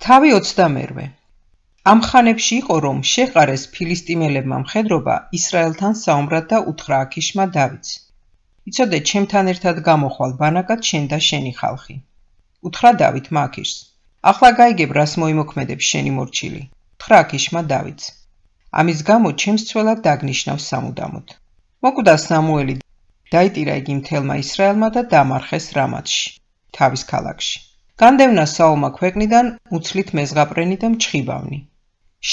თავი 22. ამ ხანებში იყო, რომ შეყარეს ფილისტიმელებმა მხედრობა ისრაელთან საომრად და უთხრა აქიშმა დავითს: იცოდე, ჩემთან ერთად გამოხვალ ბანაკად შენ და შენი ხალხი. უთხრა დავითმა აქიშს: ახლა გაიგებ, რას მოიმოქმედებს შენი მორჩილი. უთხრა აქიშმა დავითს: ამის გამო ჩემს ცველად დაგნიშნავს სამუდამოდ. მოკვდა სამუელი, დაიტირა იგი მთელმა ისრაელმა და დამარხეს რამათში, თავის ქალაქში. განდევნა საულმა ქვეყნიდან უცლით მეზღაპრენი და მჩხიბავნი.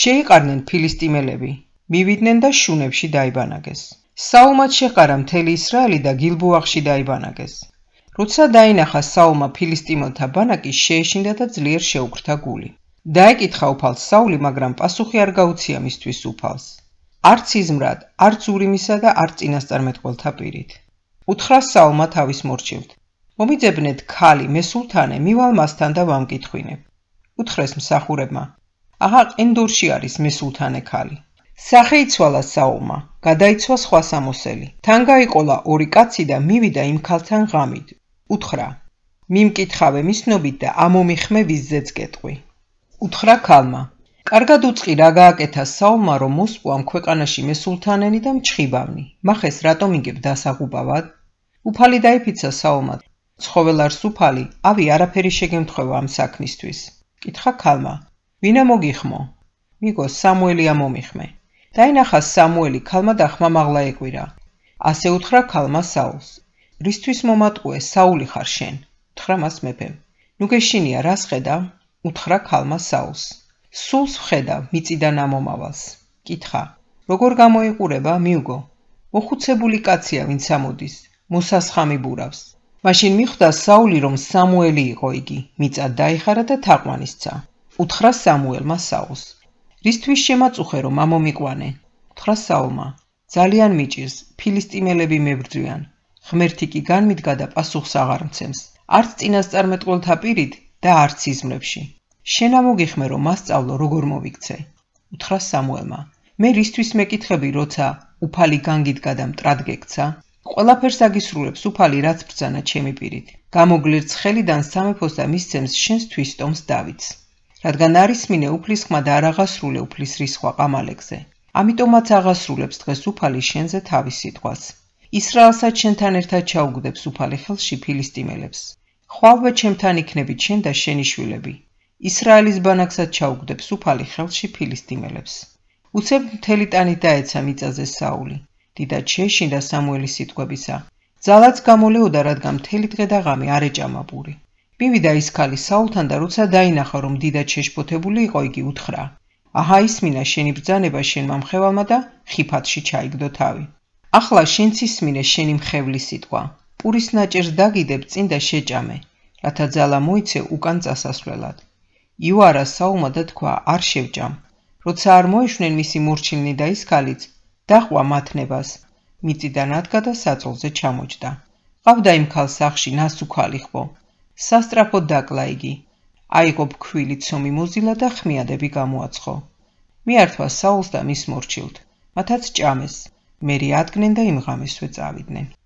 შეიყარნენ ფილისტიმელები, მივიდნენ და შუნებში დაიბანაგეს. საულმაც შეყარა მთელი ისრაელი და გილბოახში დაიბანაგეს. როცა დაინახა საულმა ფილისტიმელთა ბანაკი, შეეშინდა და ძლიერ შეუქრთა გული. დაეკითხა უფალს საული, მაგრამ პასუხი არ გაუცია მისთვის უფალს. არც იზმრად, არც ურიმისა და არც წინასწარმეტყველთა პირით. უთხრა საულმა თავის მორჩილთ: მომიძებნეთ ქალი მესულთანე, მივალ მასთან და ვამკითხვინებ. უთხრეს მსახურებმა: აღა ყენდორში არის მესულთანე ქალი. სახე იცვალა საულმა, გადაიცვა სხვა სამოსელი. თან გაიყოლა 2 კაცი და მივიდა იმ ქალთან ღამით. უთხრა: მიმკითხავე მისნობით და ამომიხმე ვიზზეც კეტყვი. უთხრა ქალმა: კარგად უწყი, რა გააკეთა საულმა, რომ მოსპო ამ ქვეყანაში მესულთანენი და მჩხიბავნი. მახეს რატომ იგებ დასაღუპავად? უფალი დაიფიცა საულმა: ცხოველარს უფალი, ავი არაფერი შეგემთხვევა ამ საქმისთვის. კითხა ქალმა: ვინა მოგიხმო? მიგო, სამუელი ამომიხმე. დაინახა სამუელი ქალმა და ხმამაღლა ეკვირა. ასე უთხრა ქალმა საულს: რისთვის მომატყუე, საული ხარ შენ? უთხრა მას მეფემ: ნუ გეშინია, რას ხედავ? უთხრა ქალმა საულს: სულს ვხედავ, მიწიდან ამომავალს. კითხა: როგორ გამოიყურება? მიუგო, მოხუცებული კაცია, ვინც ამოდის, მოსასხამი ბურავს. მაშინ მიხვდა საული, რომ სამუელი იყო იგი, მიწად დაიხარა და თაყვანისცა. უთხრა სამუელმა საულს: რისთვის შემაწუხე, რომ ამომიყვანე? უთხრა საულმა: ძალიან მიჭირს, ფილისტიმელები მებრძვიან. ღმერთი კი განმიდგა და პასუხს აღარ მცემს, არც წინასწარმეტყველთა პირით და არც იზმრებში. შენ ამოგიხმე, რომ მასწავლო, როგორ მოვიქცე. უთხრა სამუელმა: მე რისთვის მეკითხები, როცა უფალი განგიდგა და მტრად გექცა? ყველაფერს აგისრულებს უფალი, რაც ბრძანა ჩემი პირით. გამოგლირც ხელიდან სამეფოს და მისცემს შენს თვისტომს დავითს. რადგან არის მინე უფლის ხმა და არ აღასრულე უფლის რისხვა ყამალეკზე. ამიტომაც აღასრულებს დღეს უფალი შენზე თავის სიტყვას. ისრაელსაც შენთან ერთად ჩაუგდებს უფალი ხელში ფილისტიმელებს. ხვალვე ჩემთან იქნებით შენ და შენი შვილები. ისრაელის ბანაკსაც ჩაუგდებს უფალი ხელში ფილისტიმელებს. უცებ მთელი ტანით დაეცა მიწაზე საული. დიდად შეეშინდა სამუელის სიტყვებისა. ძალაც გამოლეოდა, რადგან მთელი დღე და ღამე არ ეჭამა პური. მივიდა ის ქალი საულთან და როცა დაინახა, რომ დიდად შეშფოთებული იყო, იგი უთხრა: აჰა, ისმინა შენი ბრძანება შენმა მხევალმა და ხიფათში ჩაიგდო თავი. ახლა შენც ისმინე შენი მხევლის სიტყვა. პურის ნაჭერს დაგიდებ წინ და შეჭამე, რათა ძალა მოიცე უკან წასასვლელად. იუარა საულმა და თქვა: არ შევჭამ. როცა არ მოეშვნენ მისი მორჩილნი და ის ქალიც, დაყვა მათნებას. მიწიდან ადგა და საწოლზე ჩამოჯდა. ყავდა იმ ქალს სახში ნასუქალი ხბო. სასტრაფოდ დაკლა იგი. აიღო ფქვილი ცომი მოზილა და ხმიადები გამოაცხო. მიართვა საულს და მის მორჩილთ. მათაც ჭამეს. მერე ადგნენ და იმ ღამესვე წავიდნენ.